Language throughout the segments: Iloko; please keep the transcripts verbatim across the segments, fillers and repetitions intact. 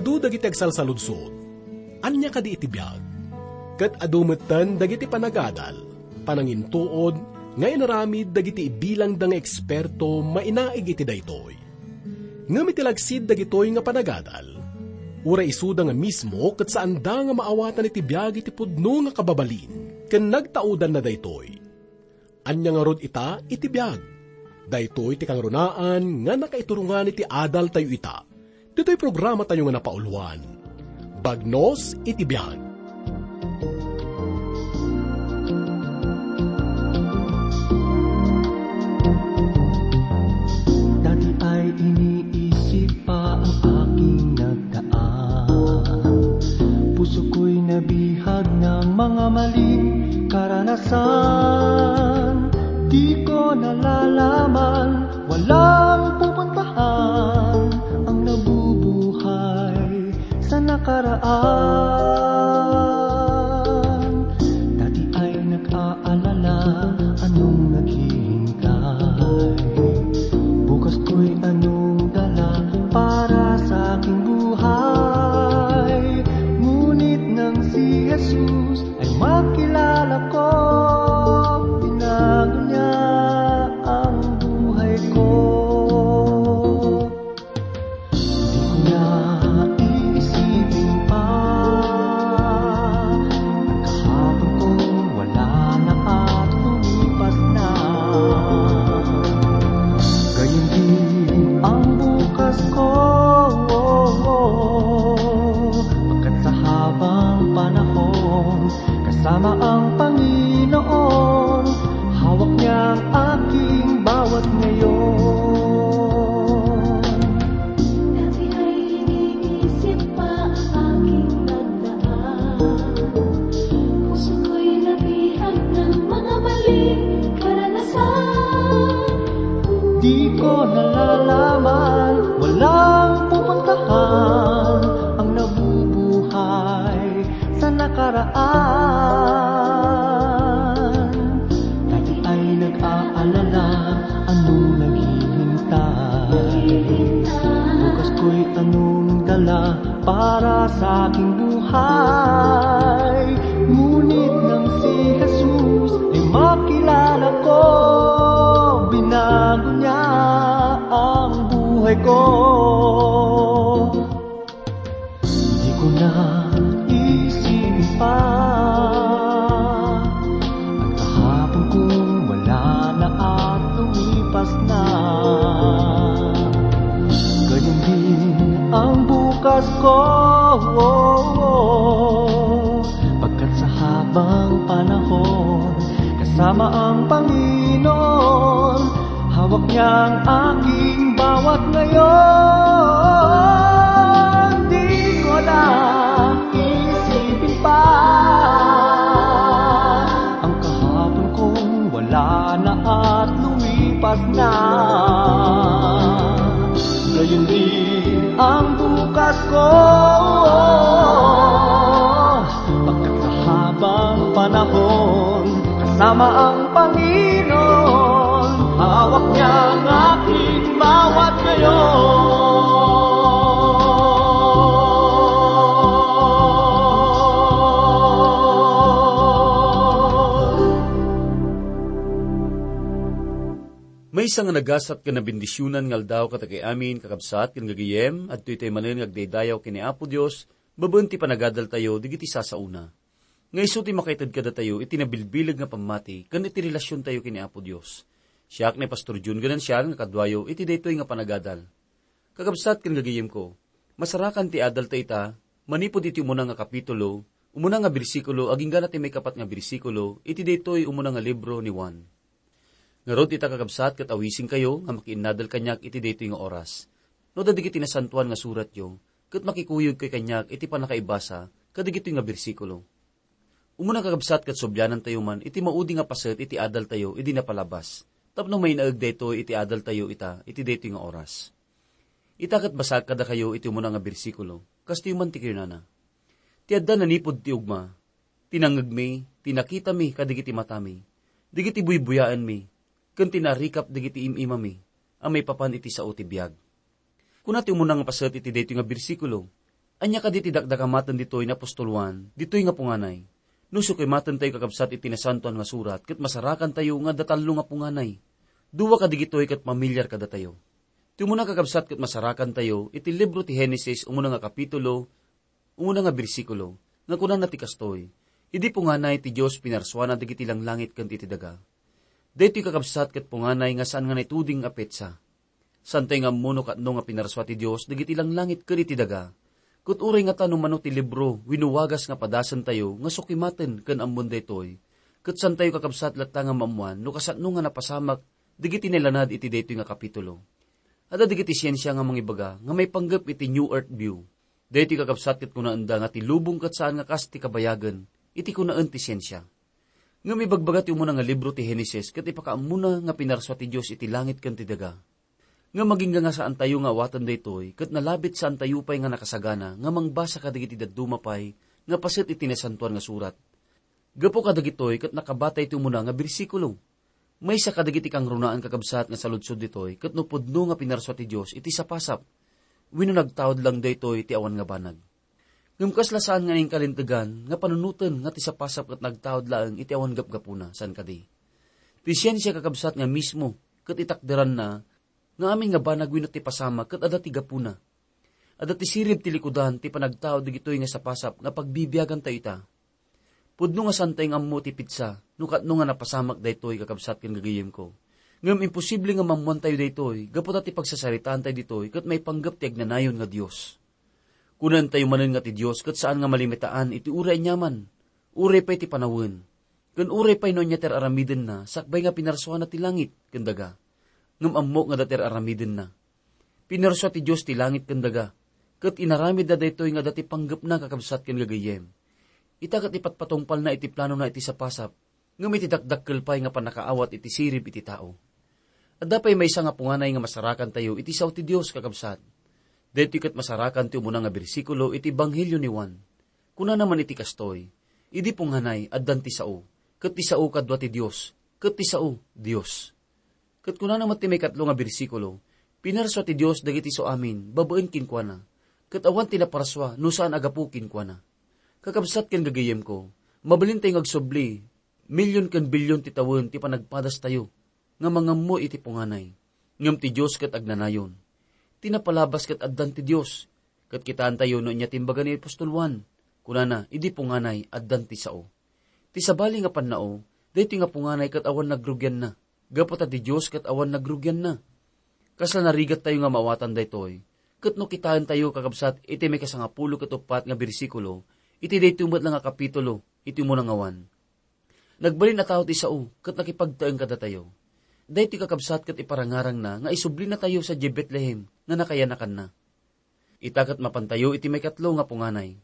Adu dagiti agsalsaludsod, "Ania kadi iti biag?" Ket adu metten dagiti panagadal, panangintuod nga inaramid dagiti ibilangda nga eksperto mainaig iti daytoy. Ngem iti lagsid dagitoy nga panagadal, uray isuda nga mismo ket saanda nga maawatan iti biag iti pudno nga kababalin ken nagtaudanna daytoy. Ania ngarud ita iti biag? Daytoy ti kangrunaan nga nakaiturongan iti adaltayo ita. Ditoy programatayo nga napauluan, Bagnos iti Biag. Dati ay iniisip pa ang aking nagdaan. Puso ko'y nabihag ng mga maling karanasan. Di ko nalalaman, walang pupuntahan ang nabubuhay sa nakaraan. Dati ay nag-aalala anong naghihintay. Bukas ko'y anong dala para sa aking buhay. Ngunit nang si Jesus ay makilala ko, binago niya ang buhay ko. Di ko na iisipin pa ang kahapon kong wala na at lumipas na. Gayon din ang bukas ko, pagkat sa habang panahon, kasama ang Panginoon, hawak niya ang aking bawat ngayon. Dati ay iniisip pa ang aking nagdaan. Puso ko'y nabihag ng mga maling karanasan. Di ko nalalaman, walang pupuntahan ang nabubuhay sa nakaraan. Dati ay nag-aalala, anong naghihintay? Bukas ko'y anong dala para sa aking buhay? Ngunit nang si Jesus ay makilala ko, binago niya ang buhay ko. Di ko na iisipin pa ang kahapon kong wala na at lumipas na. Gayon din ang bukas ko, pagkat sa habang panahon, kasama ang Panginoon, hawak niya ang aking bawat ngayon. Di ko na isipin pa ang kahapon kong wala na at lumipas na. Gayon din ang bukas ko, pagkat sa habang panahon, kasama ang Panginoon, hawak niya ang aking bawat ngayon. Maysa nga nagasat ken nabendisionan nga aldaw kadagiti amin, kakabsat ken gagayem, adtoy tay manen nga agdaydayaw ken ni Apo Dios, babaen ti panagadaltayo dagiti sasaona. Nga isu ti makaited kadatayo iti nabilbileg nga pammati ken iti relasiontayo ken ni Apo Dios. Siak ni Pastor Jun Ganancial nga kaduayo iti daytoy nga panagadal. Kakabsat ken gagayemko, masarakan ti adalta ita, manipud iti umuna nga kapitulo, umuna nga bersikulo, agingga na ti maikapat nga bersikulo, iti daytoy umuna nga libro ni Juan. Ngarud ita, kakabsat, ket awisenkayo nga makiinnadal kaniak iti daytoy nga oras. No dagiti nasantoan nga suratyo, ket makikuyogkayo kaniak iti pannakaibasa kadagitoy nga bersikulo. Umuna, kakabsat, ket sublianantayo man iti maudi nga paset iti adaltayo idi napalabas, tapno mainaeg daytoy iti adaltayo ita iti daytoy nga oras. Ita ket basaek kadakayo iti umuna nga bersikulo, kastoy man ti kinunana, "Ti adda nanipud ti ugma, ti nangngegmi, ti nakitami kadagiti matami, dagiti buybuyaenmi, ken ti naarikap dagiti im-imami a maipapan iti sao ti biag." Kuna ti umuna nga paset iti daytoy nga bersikulo, Ania kadi ti dakdakamaten ditoy ni apostol Juan, ditoy nga punganay? No sukimaten tayo, kakabsat, iti Nasantoan nga Surat, ket masarakan tayo nga adda tallo nga punganay. Dua kadigitoy ket pamilyar kadatayo. Ti umuna, kakabsat, ket masarakan tayo iti libro ti Genesis, umuna nga kapitulo, umuna nga bersikulo, nga kunana ti kastoy, "Idi punganay ti Dios pinarsuana dagiti langlangit ken iti daga." Daytoy, kakabsat, ket punganay nga saan nga naituding a petsa. Saantayo nga ammo no katno nga pinarsua ti Dios dagiti langlangit ken iti daga. Ket uray ngata no mano ti libro wenno wagas nga padasentayo nga sukimaten ken ammon daytoy, ket saantayo, kakabsat, latta nga maammoan no kasano nga napasamak dagiti nailanad iti daytoy nga kapitulo. Adda dagiti siensia nga mangibaga nga maipanggep iti New Earth View. Daytoy, kakabsat, ket kunaenda nga ti lubong ket saan nga kas ti kabayagen iti kunaen ti siensia. Ngem ibagbaga ti umuna nga libro ti Genesis ket ipakaammona nga pinarsua ti Dios iti langit ken ti daga. Ngem agingga nga saantayo nga awaten daytoy, ket nalabit saantayo pay nga nakasagana nga mangbasa kadagiti dadduma pay nga paset iti Nasantoan nga Surat. Gapu kadagitoy ket nakabatay ti umuna nga bersikulo. Maysa kadagiti kangrunaan, kakabsat, nga saludsod ditoy ket no pudno nga pinarsua ti Dios iti sapasap wenno nagtaud lang daytoy ti awan nga banag. Ngem kasla saan nga inkalintegan nga panunoten nga ti sapasap ket nagtaud laeng iti awan gapgapuna, saan kadi? Ti siensia, kakabsat, nga mismo ket itakderanna nga amin nga banag wenno ti pasamak ket adda ti gapuna. Adda ti sirib ti likudan ti panagtaud dagitoy nga sapasap nga pagbibiagantayo ita. Pudno nga saantayo nga ammo ti petsa no katno nga napasamak daytoy, kakabsat ken gagayyemko. Ngem imposible nga maammoantayo daytoy gapu ta ti pagsasaritaantayo ditoy ket maipanggep ti agnanayon nga Dios. Kunaentayo manen nga ti Dios ket saan nga malimitaan iti uray aniaman, uray pay ti panawen, ken uray pay no ania ti ar-aramidenna sakbay nga pinarsuana ti langit ken daga. Ngem ammok nga adda ti ar-aramidenna. Pinarsua ti Dios ti langit ken daga, ket inaramidna daytoy nga adda ti panggepna, kakabsat ken gagayyem. Ita ket ipatpatungpalna iti planona iti sapasap, ngem iti dakdakkel pay nga pannakaawat iti sirib iti tao. Adda pay maysa nga punganay nga masarakantayo iti sao ti Dios, kakabsat. Daytoy ket masarakan ti umuna nga bersikulo iti Ebanghelio ni Juan. Kunana man iti kastoy, "Idi punganay, addan ti sao, ket ti sao kadua ti Dios, ket ti sao, Dios." Ket kunana met ti maikatlo nga bersikulo, "Pinarsua ti Dios dagiti suamin babaen kenkuana, ket awan ti naparsua no saan a gapu kenkuana." Kakabsat ken gagayyemko, mabalintayo nga agsubli, milyon ken bilyon ti tawen ti panagpadastayo nga mangammo iti punganay, ngem ti Dios ket agnanayon. Ti napalabas ket addan ti Dios, ket kitaentayo no ania ti imbaga ni apostol Juan. Kunana, "Idi punganay, addan ti sao." Ti sabali nga pannao, daytoy nga punganay ket awan nagrugianna, gapu ta ti Dios ket awan nagrugianna. Kasla narigattayo nga maawatan daytoy, ket no kitaentayo, kakabsat, iti maikasangapulo ket uppat nga bersikulo, iti daytoy met la nga kapitulo, iti umuna nga Juan. Nagbalin a tao ti sao ket nakipagtaeng kadatayo. Daytoy, kakabsat, ket iparangarangna nga isublinatayo sadiay Betlehem nga nakayanakanna. Ita ket mapantayo iti maikatlo nga punganay.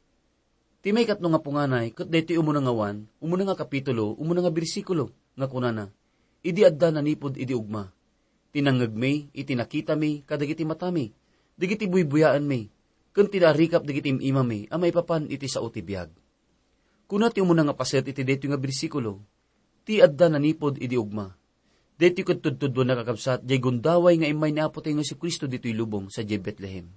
Ti maikatlo nga punganay ket daytoy umuna nga Juan, umuna nga kapitulo, umuna nga bersikulo, nga kunana, "Idi adda nanipud idi ugma, ti nangngegmi iti nakitami kadagiti matami, dagiti buybuyaenmi, ken ti naarikap dagiti im-imami a maipapan iti sao ti biag." Kuna ti umuna nga paset iti daytoy nga bersikulo, "Ti adda nanipud idi ugma." Daytoy ket tudtuduenna, kakabsat, diay gundaway nga immay ni Apotayo nga Jesu-Cristo ditoy lubong sadiay Betlehem.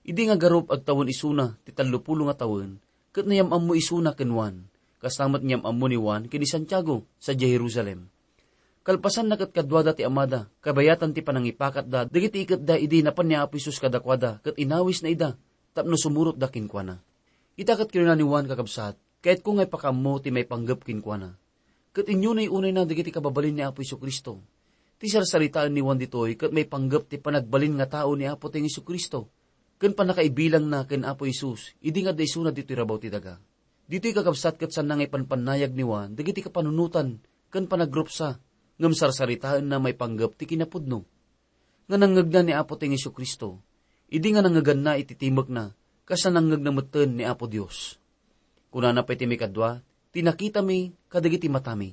Idi nga garup agtawen isuna ti tallopulo nga tawen, ket nayam-ammo isuna ken Juan, kasta met niyam-ammo ni Juan ken ni Santiago sadiay Jerusalem. Kalpasanna ket kaduada ti amada, kabayatan ti panangipakatda dagiti iketda idi napan ni Apo Jesus kadakuada ket inawisna ida tapno sumurotda kenkuana. Ita ket kinuna ni Juan, kakabsat, "Kayatko nga ipakaammo ti maipanggep kenkuana." Ket inyunay-unayna dagiti kababalin ni Apo Jesu-Cristo. Ti sarsaritaen ni Juan ditoy ket maipanggep ti panagbalin nga tao ni Apotayo Jesu-Cristo ken pannakaibilangna ken Apo Jesus idi nga adda isuna ditoy rabaw ti daga. Ditoy, kakabsat, ket saanna nga ipanpannayag ni Juan dagiti kapanunotan ken panagrupsa, ngem sarsaritaenna maipanggep ti kinapudno nga nangngegna ni Apotayo Jesu-Cristo, idi nga nangngeganna iti timekna, kasla nangngegna metten ni Apo Dios. Kunana pay ti maikadua, "Ti nakitami kadagiti matami."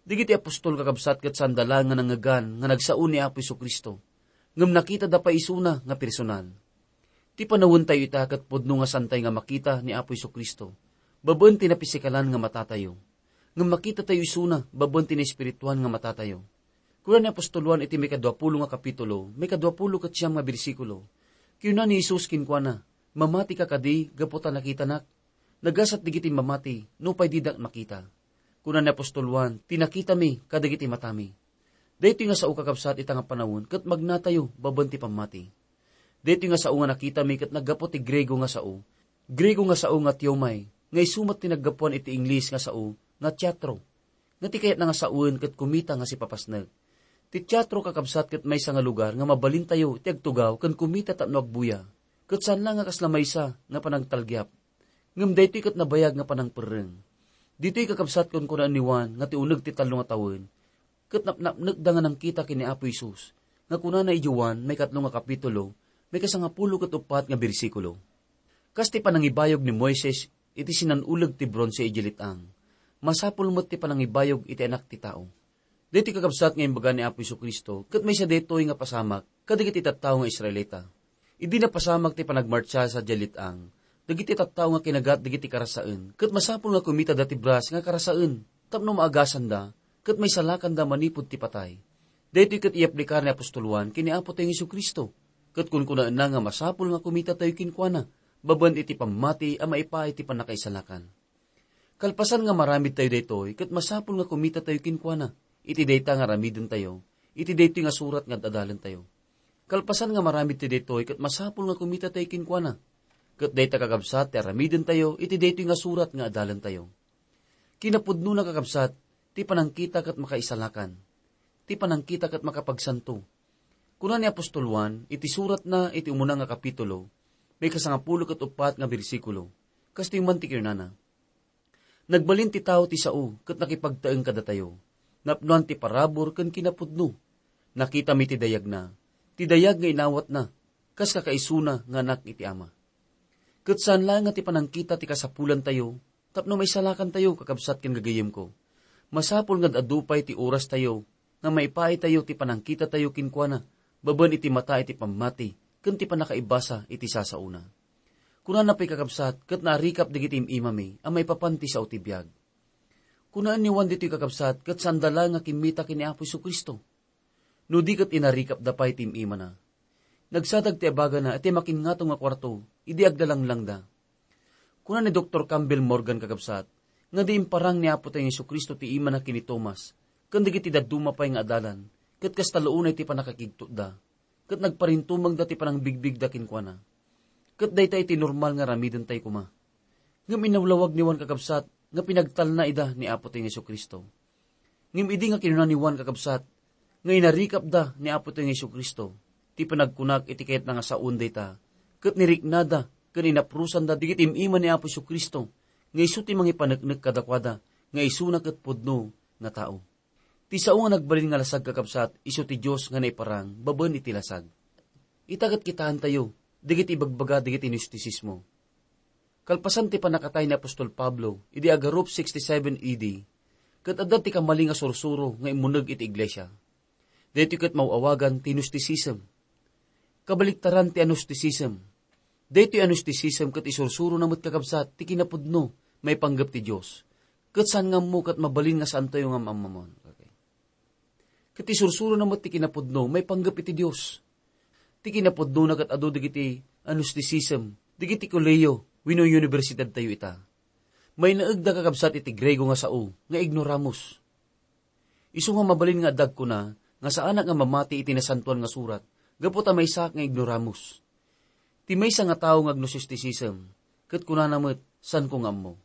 Dagiti apostol, kakabsat, ket saanda laeng nga nangngegan nga nagsao ni Apo Jesu-Cristo, ngem nakitada pay isuna nga personal. Ti panawentayo ita ket pudno nga saantayo nga makita ni Apo Jesu-Cristo babaen ti napisikalan nga matatayo, ngem makitatayo isuna babaen ti naespirituan nga matatayo. Kuna ni apostol Juan iti maikaduapulo nga kapitulo, maikaduapulo ket siam nga bersikulo, kinuna ni Jesus kenkuana, Mamatika kadi gapu ta nakitanak? Nagasat dagiti mamati nupay didak makita. Kuna ni apostol Juan, "Ti nakitami kadagiti matami." Daytoy nga sao, kakabsat, ita nga panawen ket magnatayo babaen ti pammati. Daytoy nga sao nga nakitami ket naggapu ti Griego nga sao. Griego nga sao nga theomai, nga isu met ti naggapuan iti Ingles nga sao nga teatro, nga ti kayatna nga sawen ket kumita nga sipapasnek. Ti teatro, kakabsat, ket maysa nga lugar nga mabalintayo ti agtugaw ken kumita tapno agbuya. Ket saan la nga kasla maysa nga panagtalgiap. Ngem daytoy ket nabayag nga panangperreng. Ditoy, kakabsat, kunkunaan ni Juan nga ti uneg ti tallo nga tawen, ket napnapnekda nga nangkita ken ni Apo Jesus, nga kunana iti Juan, maikatlo nga kapitulo, maikasangapulo ket uppat nga bersikulo, "Kas ti panangibayog ni Moises iti sinan-uleg ti bronse iti lit-ang, masapul met ti panangibayog iti Anak ti Tao." Daytoy, kakabsat, nga imbaga ni Apo Jesu-Cristo, ket maysa daytoy nga pasamak kadagiti tattao nga Israelita. Idi napasamak ti panagmartsa sadiay lit-ang, dagiti tattao nga kinagat dagiti karasaen, ket masapul nga kumitada ti bras nga karasaen tapno maagasanda ket maisalakanda manipud ti patay. Daytoy ket iyaplikar ni apostol Juan ken ni Apotayo Jesu-Cristo, ket kunkunaenna nga masapul nga kumitatayo kenkuana babaen iti pammati a maipaay ti pannakaisalakan. Kalpasan nga maramidtayo daytoy, ket masapul nga kumitatayo kenkuana iti dayta nga aramidentayo, iti daytoy nga surat nga ad-adalentayo. Kalpasan nga maramidtayo daytoy, ket masapul nga kumitatayo kenkuana, ket dayta, kakabsat, ti aramidentayo iti daytoy nga surat nga adalentayo. Kinapudnona, kakabsat, ti panangkita ket makaisalakan. Ti panangkita ket makapagsanto. Kuna ni apostol Juan iti suratna iti umuna nga kapitulo, maikasangapulo ket uppat nga bersikulo, kastoy man ti kinunana, "Nagbalin ti tao ti sao ket nakipagtaeng kadatayo. Napnoan ti parabur ken kinapudno. Nakitami ti dayagna, ti dayag nga inawatna, kas kakaisuna nga anak iti Ama." Ket saan laeng nga ti panangkita ti kasapulantayo tapno maisalakantayo, kakabsat ken gagayyemko. Masapul nga ad-adu pay ti orastayo nga maipaaytayo ti panangkitatayo kenkuana babaen iti mata iti pammati ken ti pannakaibasa iti sasaona. Kunana pay, kakabsat, ket naarikap dagiti im-imami a maipapan ti sao ti biag. Kunaen ni Juan ditoy, kakabsat, ket saanda laeng nga kimmita ken ni Apo Jesu-Cristo. No di ket inarikapda pay ti im-imana. Nagsadag ti abagana iti makinngato nga kuarto idi aglalanglangda. Kuna ni Doktor Campbell Morgan, kakabsat, nga di imparang ni Apotayo Jesu-Cristo ti imana ken ni Tomas ken dagiti dadduma pay nga adalan, ket kasta la unay ti pannakakigtotda, ket nagparintumengda ti panangbigbigda kenkuana. Ket dayta iti normal nga aramidentay koma. Ngem inawlawag ni Juan, kakabsat, nga pinagtalna ida ni Apotayo Jesu-Cristo. Ngem idi nga kinuna ni Juan, kakabsat, nga inarikapda ni Apotayo Jesu-Cristo, ti panagkunak iti kayatna nga saoen dayta, ket niriknada ken inaprusanda dagiti im-ima ni Apo Jesu-Cristo nga isu ti mangipaneknek kadakuada nga isuna ket pudno nga tao. Ti sao nga nagbalin nga lasag, kakabsat, isu ti Dios nga naiparang babaen iti lasag. Ita ket kitaentayo dagiti ibagbaga dagiti Gnostisismo. Kalpasan ti pannakatay ni apostol Pablo idi agarup sixty-seven A D, ket adda ti kamali nga sursuro nga immuneg iti iglesia. Daytoy ket maw-awagan ti Gnosticism. Kabaliktaran ti Gnosticism. Daytoy Gnosticism ket isursurona met, kakabsat, ti kinapudno maipanggep ti Dios. Ket saan nga ammo ket mabalin nga saantayo nga maammuan. Okay. Ket isursurona met ti kinapudno maipanggep iti Dios. Ti kinapudnona ket adu dagiti Gnosticism, dagiti kolehiyo wenno universidadtayo ita. Mainaegda, kakabsat, iti Griego nga sao nga ignoramus. Isu nga mabalin nga adda agkuna nga saanak nga mamati iti Nasantoan nga Surat gapu ta maysaak nga ignoramus. Ti maysa nga tao nga agnosticism, ket kunana met, "Saanko nga ammo."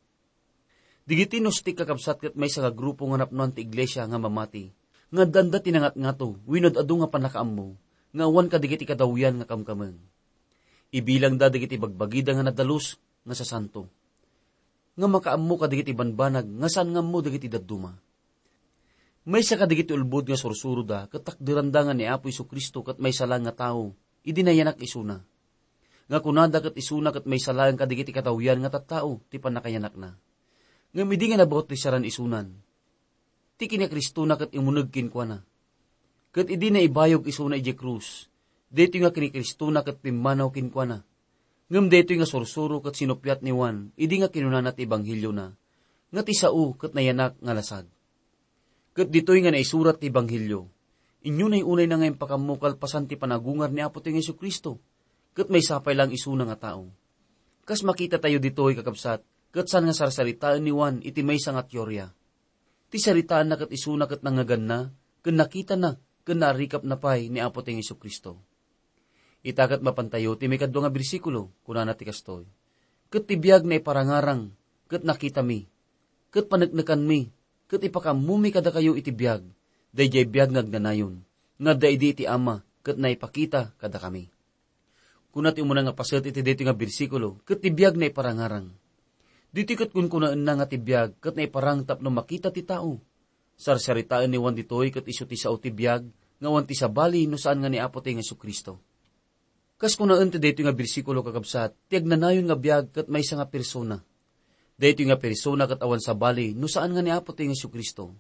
Dagiti Gnostic, kakabsat, ket maysa nga grupo nga napnoan ti iglesia nga mamati, nga addanda ti nangatngato wenno adu nga pannakaammo nga awan kadagiti katawian nga kamkameng. Ibilangda dagiti bagbagida nga nadalus nga sasanto, nga makaammo kadagiti banbanag nga saan nga ammo dagiti dadduma. Maysa kadagiti ulbod nga sursuroda ket takderanda nga ni Apo Jesu-Cristo ket maysa laeng nga tao idi nayanak isuna. Nga kunada ket isuna ket maysa laeng kadagiti katawian nga tattao ti pannakayanakna. Ngem idi nga nabautisaran isunan, ti kinikristona ket immuneg kenkuana. Ket idi naibayog isuna idiay krus, daytoy nga kinikristona ket pimmanaw kenkuana. Ngem daytoy nga sursuro ket sinuppiat ni Juan idi nga kinunana ti ebangheliona, nga ti sao ket nayanak nga lasag. Ket ditoy nga naisurat ti ebanghelio, inyo nay unayna nga impakammo kalpasan ti panagungar ni Apotayo nga Jesu-Cristo, ket maysa pay laeng isuna nga tao. Kas makitatayo ditoy, kakabsat, ket saan nga sarsaritaen ni Juan iti maysa nga teoria. Ti saritaanna ket isuna ket nangngeganna, ken nakitana, ken naarikapna pay ni Apo Tayo Jesu-Cristo. Ita ket mapantayo ti maikadua nga bersikulo, kunana ti kastoy, "Ket ti biag naiparangarang, ket nakitami, ket paneknekanmi, ket ipakaammomi kadakayo iti biag, daydiay biag nga agnanayon, nga adda idi iti Ama, ket naipakita kadakami." Kuna ti umuna nga paset iti daytoy nga bersikulo, "Ket ti biag naiparangarang." Ditoy ket kunkunaenna nga ti biag ket naiparang tapno makita ti tao. Sarsaritaen ni Juan ditoy ket isu ti sao ti biag nga awan ti sabali no saan nga ni Apo Tayo Jesu-Cristo. Kas kunaen ti daytoy nga bersikulo, kakabsat, ti agnanayon nga biag ket maysa nga persona. Daytoy nga persona ket awan sabali no saan nga ni Apo Tayo Jesu-Cristo.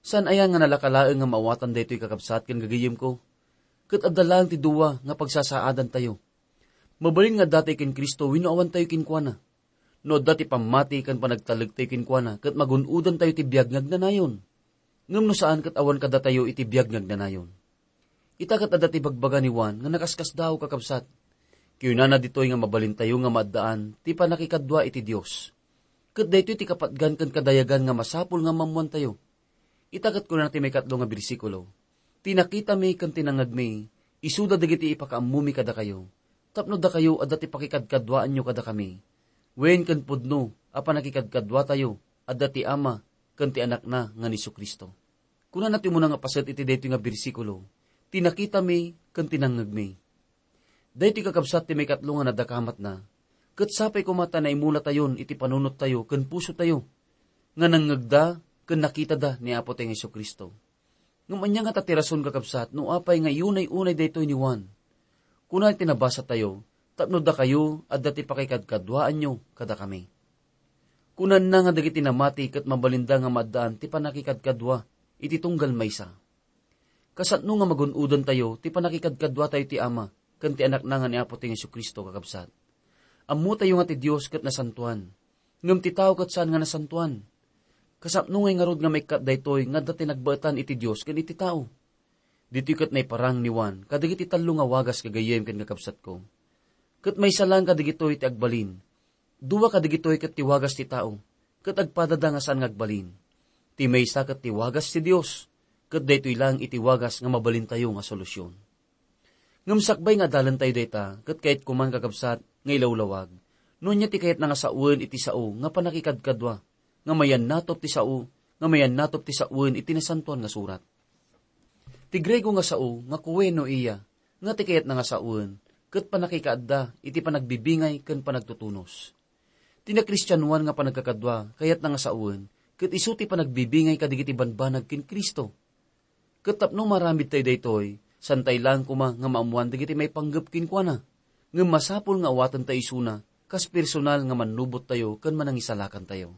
Saan aya nga nalaka laeng nga maawatan daytoy, kakabsat ken gagayemko? Ket adda laeng ti dua nga pagsasaadantayo. Mabalin nga adda tayo ken Cristo wenno awan tayo kenkuana. No adda ti pammati ken panagtalek tayo kenkuana, ket magun-odan tayo ti biag nga agnanayon. Ngem no saan, ket awan kadatayo iti biag nga agnanayon. Ita ket adda ti bagbaga ni Juan nga nakaskasdaaw, kakabsat. Kinunana ditoy nga mabalintayo nga maaddaan ti pannakikadua iti Dios. Ket daytoy ti kapatgan ken kadayagan nga masapul nga maammoantayo. Ita ket kunana ti maikatlo nga bersikulo, "Ti nakitami ken ti nangngegmi, isuda dagiti ipakaammomi kadakayo, tapno dakayo adda ti pakikadkaduaanyo kadakami, wen ken pudno a pannakikadkaduatayo adda ti Ama ken ti Anakna nga ni Jesu-Cristo." Kunana ti umuna nga paset iti daytoy nga bersikulo, "Ti nakitami ken ti nangngegmi." Daytoy, kakabsat, ti maikatlo nga nadakamatna, ket sapay koma ta naimulatayon iti panunottayo ken pusotayo nga nangngegda ken nakitada ni Apo Tayo Jesu-Cristo. Ngem ania ngata ti rason, kakabsat, no apay nga iyunay-unay daytoy ni Juan? Kuna iti nabasatayo, "Tapno dakayo adda ti pakikadkaduaanyo kadakami." Kunana nga dagiti namati ket mabalinda nga maaddaan ti pannakikadkadua iti tunggal maysa. Kasano nga magun-odantayo ti pannakikadkaduatayo ti Ama ken ti Anakna nga ni Apo Tayo Jesu-Cristo, kakabsat? Ammotayo nga ti Dios ket nasantoan, ngem ti tao ket saan nga nasantoan. Kasano ngay ngarud nga maikkat daytoy nga adda ti nagbaetan iti Dios ken iti tao? Ditoy ket naiparang ni Juan kadagiti tallo nga wagas, gagayyem ken kakabsatko. Ket maysa laeng kadagitoy ti agbalin. Dua kadagitoy ket ti wagas ti tao, ket agpadada nga saan nga agbalin. Ti maysa ket ti wagas ti Dios, ket daytoy laeng iti wagas nga mabalintayo nga solusyon. Ngem sakbay nga adalentayo dayta, ket kayatko man, kakabsat, nga ilawlawag no ania ti kayatna nga sawen iti sao nga pannakikadkadua, nga mayannatop ti sao, nga mayannatop ti sawen iti Nasantoan nga Surat. Ti Griego nga sao nga koinonia, nga ti kayatna nga sawen ket pannakikaadda iti panagbibingay ken panagtutunos. Ti nakristianoan nga panagkakadua kayatna nga sawen ket isu ti panagbibingay kadagiti banbanag ken Cristo. Ket tapno maaramidtayo daytoy, saantay laeng koma nga maammoan dagiti maipanggep kenkuana, ngem masapul nga awatentayo isuna kas personal nga mannubottayo ken manangisalakantayo.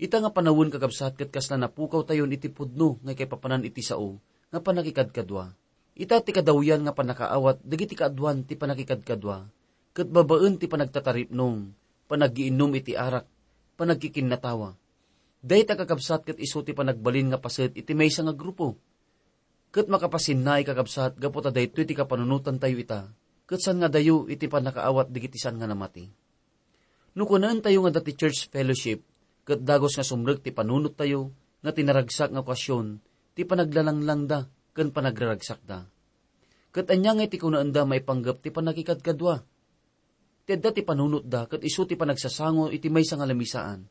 Ita nga panawen, kakabsat, ket kasla napukawtayon iti pudno nga kaipapanan iti sao nga pannakikadkadua. Ita ti kadawyan nga pannakaawat dagiti kaaduan ti pannakikadkadua, ket babaen ti panagtataripnong, panaggiinnum iti arak, panagkikinnatawa. Dayta, kakabsat, ket isu ti panagbalin nga paset iti maysa nga grupo. Ket makapasinnaay, kakabsat, gapu ta daytoy ti kapanunotantayo ita, ket saan nga adayo iti pannakaawat dagiti saan nga namati. No kunaentayo nga adda ti church fellowship, ket dagus nga sumrek ti panunottayo nga ti naragsak nga okasyon ti panaglalanglangda ken panagraragsakda. Ket ania ngay ti kunaenda maipanggep ti pannakikadkadua? Ti adda ti panunotda ket isu ti panagsasango iti maysa nga lamisaan,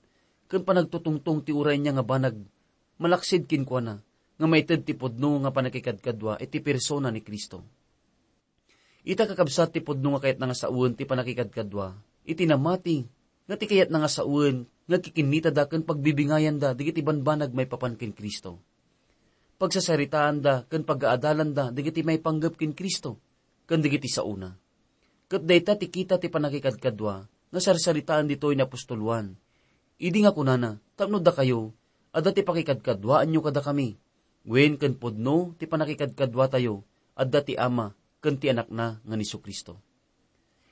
ken panagtutungtong ti uray ania nga banag malaksid kenkuana, nga maited ti pudno nga pannakikadkadua iti persona ni Cristo. Ita, kakabsat, ti pudno nga kayatna nga sawen ti pannakikadkadua iti namati, nga ti kayatna nga sawen nga kikinnitada ken pagbibingayanda dagiti banbanag maipapan ken Cristo. Pagsasaritaanda ken pagaadalanda dagiti maipanggep ken Cristo ken dagiti saona. Ket dayta ti kita ti pannakikadkadua nga sarsaritaen ditoy ni apostol Juan, idi nga kunana, "Tapno dakayo, adda ti pakikadkaduaanyo kadakami, wen ken pudno ti pannakikadkaduatayo, adda ti Ama ken ti Anakna nga ni Jesu-Cristo."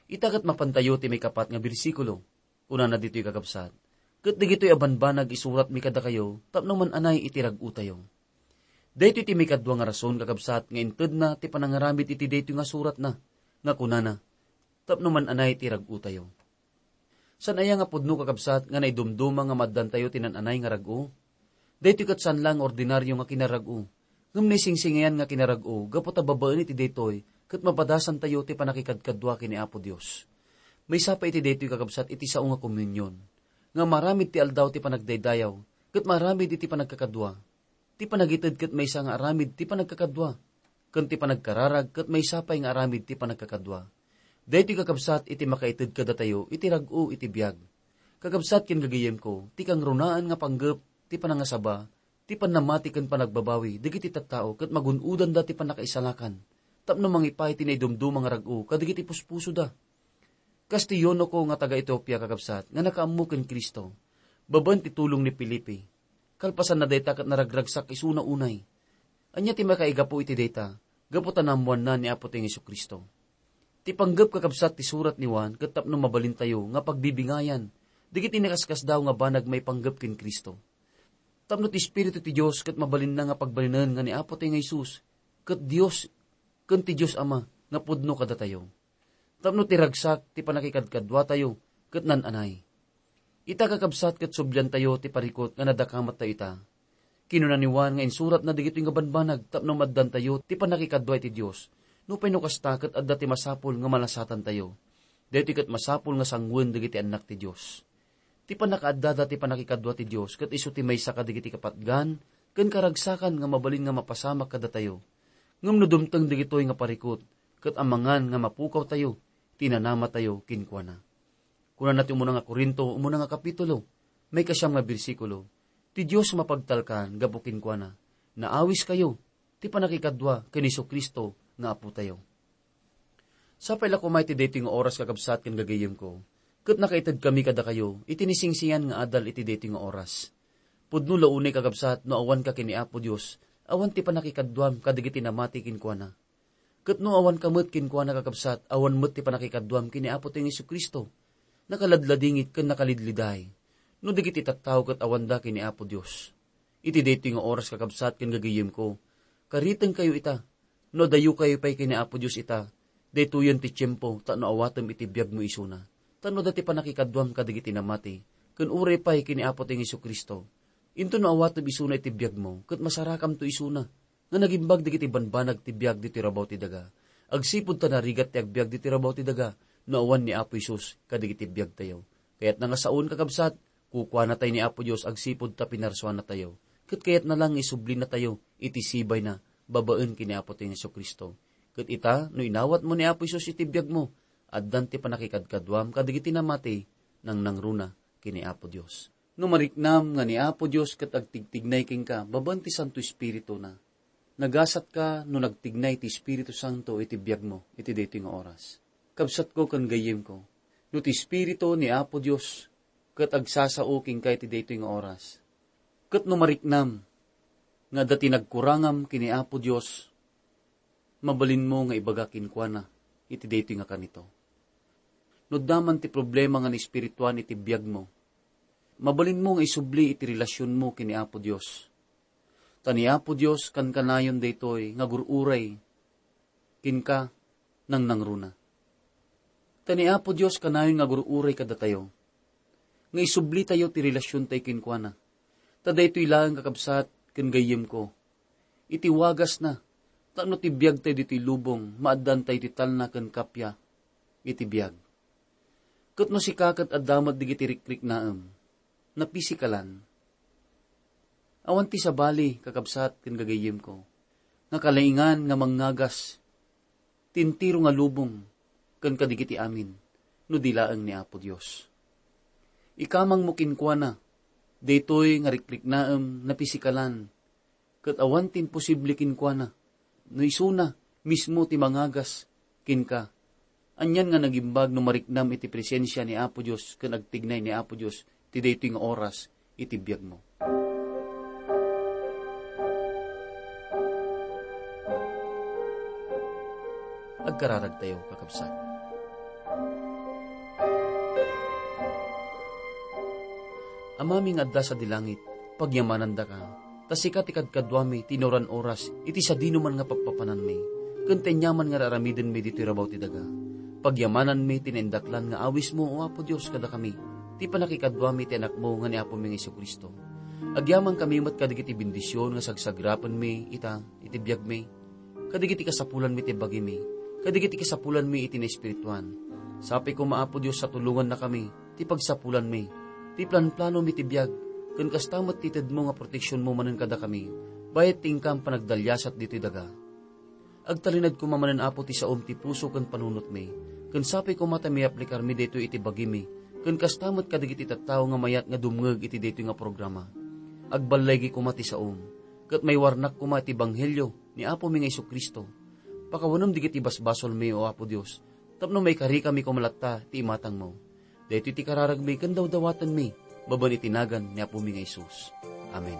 Ita ket mapantayo ti maikapat nga bersikulo. Kunana ditoy, kakabsat, "Ket dagitoy a banbanag isuratmi kadakayo tapno man-anay iti rag-otayo." Daytoy ti maikadua nga rason, kakabsat, nga intedna ti panangaramid iti daytoy nga suratna, nga kunana, "Tapno man-anay ti rag-otayo." Saan aya nga pudno, kakabsat, nga naidumduma nga maaddantayo ti naan-anay nga rag-o? Daytoy ket saan la nga ordinario nga kinarag-o, ngem naisingsingayan nga kinarag-o gapu ta babaen iti daytoy ket mapadasantayo ti pannakikadkadua ken ni Apo Dios. Maysa pay iti daytoy, kakabsat, iti sao nga komunion, nga maaramid ti aldaw ti panagdaydayaw ket maaramid iti panagkakadua. Ti panagited ket maysa nga aramid ti panagkakadua, ken ti panagkararag ket maysa pay nga aramid ti panagkakadua. Daytoy, kakabsat, iti makaited kadatayo iti rag-o iti biag. Kakabsat ken gagayyemko, ti kangrunaan nga panggep ti panangasaba, ti pannamati ken panagbabawi dagiti tattao ket magun-odanda ti pannakaisalakan tapno mangipay ti naidumduma nga rag-o kadagiti puspusoda. Kas ti eunuko nga taga-Etiopia, kakabsat, nga nakaammo ken Cristo, babaen ti tulong ni Felipe. Kalpasanna dayta ket naragragsak isuna unay. Ania ti makaigapu iti dayta? Gapu ta naammoanna ni Apotayo nga Jesu-Cristo. Ti panggep, kakabsat, ti surat ni Juan ket tapno mabalintayo nga pagbibingayan dagiti nakaskasdaaw nga banag maipanggep ken Cristo. Tapno ti Espiritu ti Dios ket mabalinna nga pagbalinen nga ni Apotayo nga Jesus ket Dios ken ti Dios Ama nga pudno kadatayo. Tapno ti ragsak ti pannakikadkaduatayo ket naan-anay. Ita, kakabsat, ket subliantayo ti parikut nga nadakamattayo ita. Kinuna ni Juan nga insuratna dagitoy nga banbanag tapno maaddantayo ti pannakikadua iti Dios. Nupay no kasta, ket adda ti masapul nga malasatantayo. Daytoy ket masapul nga sanguen dagiti annak ti Dios. Ti pannakaaddada ti pannakikadua ti Dios ket isu ti maysa kadagiti kapatgan ken karagsakan nga mabalin nga mapasamak kadatayo. Ngem no dumteng dagitoy nga parikut, ket amangan nga mapukawtayo ti nanamatayo kenkuana. Kunana ti umuna nga Corinto, umuna nga kapitulo, maikasiam nga bersikulo, "Ti Dios mapagtalkan gapu kenkuana. Naawiskayo ti pannakikadua ken ni Jesu-Cristo nga Apotayo." Sapay la koma iti daytoy nga oras, kakabsat ken gagayyemko, ket nakaitedkami kadakayo iti naisingsingayan nga adal iti daytoy nga oras. Pudno la unay, kakabsat, no awanka ken ni Apo Dios, awan ti pannakikaduam kadagiti namati kenkuana. Ket no awanka met kenkuana, kakabsat, awan met ti pannakikaduam ken ni Apotayo nga Jesu-Cristo. Nakaladladingit ken nakalidliday no dagiti tattao ket awanda ken ni Apo Dios. Iti daytoy nga oras, kakabsat ken gagayyemko, karitengkayo ita. No adayokayo pay ken ni Apo Dios ita, daytoyen ti tiempo tapno awatem iti biagmo isuna. Tapno adda ti pannakikaduam kadagiti namati, ken uray pay ken ni Apotayo nga Jesu-Cristo. Inton no awatem isuna iti biagmo, ket masarakamto isuna nga nagimbag dagiti banbanag ti biag ditoy rabaw ti daga. Agsipud ta narigat ti agbiag ditoy rabaw ti daga no awan ni Apo Jesus kadagiti biagtayo. Kayatna nga saon, kakabsat, kukuanatay ni Apo Dios agsipud ta pinarsuanatayo. Ket kayatna lang nga isublinatayo iti sibayna babaen ken ni Apotayo Jesu-Cristo. Ket ita, no inawatmo ni Apo Jesus iti biagmo, addan ti pannakikadkaduam kadagiti namati nangnangruna ken ni Apo Dios. No mariknam nga ni Apo Dios ket agtigtignay kenka babaen ti Santo Espirituna, nagasatka no nagtignay ti Espiritu Santo iti biagmo iti daytoy nga oras. Kabsatko ken gayyemko, no ti Espiritu ni Apo Dios ket agsasao kenka iti daytoy nga oras, ket no mariknam nga adda ti nagkurangam ken ni Apo Dios, mabalinmo nga ibaga kenkuana iti daytoy nga kanito. No adda man ti problema nga naespirituan iti biagmo, mabalinmo nga isubli iti relasionmo ken ni Apo Dios. Ta ni Apo Dios kankanayon daytoy nga agur-uray kenka nangnangruna. Ta ni Apo Dios kanayon nga agur-uray kadatayo, nga isublitayo ti relasiontayo kenkuana. Ta daytoy laeng, kakabsat ken gayyemko, iti wagasna, tapno ti biagtayo ditoy lubong, maaddantayo ti talna ken kappia iti biag. Ket no sika ket adda met dagiti rikriknaem, napisikalan, awan ti sabali, kakabsat ken gagayyemko, nga kalaingan nga mangngagas ti entero nga lubong ken kadagiti amin no di laeng ni Apo Dios. Ikamangmo kenkuana daytoy nga rikriknaem, napisikalan, ket awan ti imposible kenkuana no isuna mismo ti mangagas kenka. Anian nga nagimbag no mariknam iti presensia ni Apo Dios ken agtignay ni Apo Dios ti daytoy nga oras iti biagmo. Agkararagtayo, kakabsat. Amami nga adda sadi langit, pagyamanandaka, ta sika ti kadkaduami ti inuran oras iti sadinoman nga pappapananmi, ken ti aniaman nga ar-aramidenmi ditoy rabaw ti daga. Pagyamananmi ti naindaklan nga awismo, O Apo Dios, kadakami, ti pannakikaduami ti Anakmo nga ni Apomi nga Jesu-Cristo. Agyamankami met kadagiti bendision nga sagsagrapenmi ita iti biagmi, kadagiti kasapulanmi ti bagimi, kadagiti kasapulanmi iti naespirituan. Sapay koma, Apo Dios, a tulongannakami ti pagsapulanmi, ti planplanomi ti biag, ken kasta met ti tedmo nga proteksionmo manen kadakami, bayat ti inkam panagdaliasat ditoy daga. Agtalinaed koma manen, Apo, ti saom ti puso ken panunotmi, ken sapay koma ta mayaplikarmi daytoy iti bagimi, ken kasta met kadagiti tattao nga mayat nga dumngeg iti daytoy nga programa. Agballaygi koma ti saom, ket maiwarnak koma iti ebanghelio ni Apomi nga Jesu-Cristo. Pakawanem dagiti basbasolmi, O Apo Dios, tapno maikarikami koma latta ti imatangmo. Daytoy ti kararagmi ken dawdawatenmi babaen iti nagan ni Apomi nga Jesus. Amen.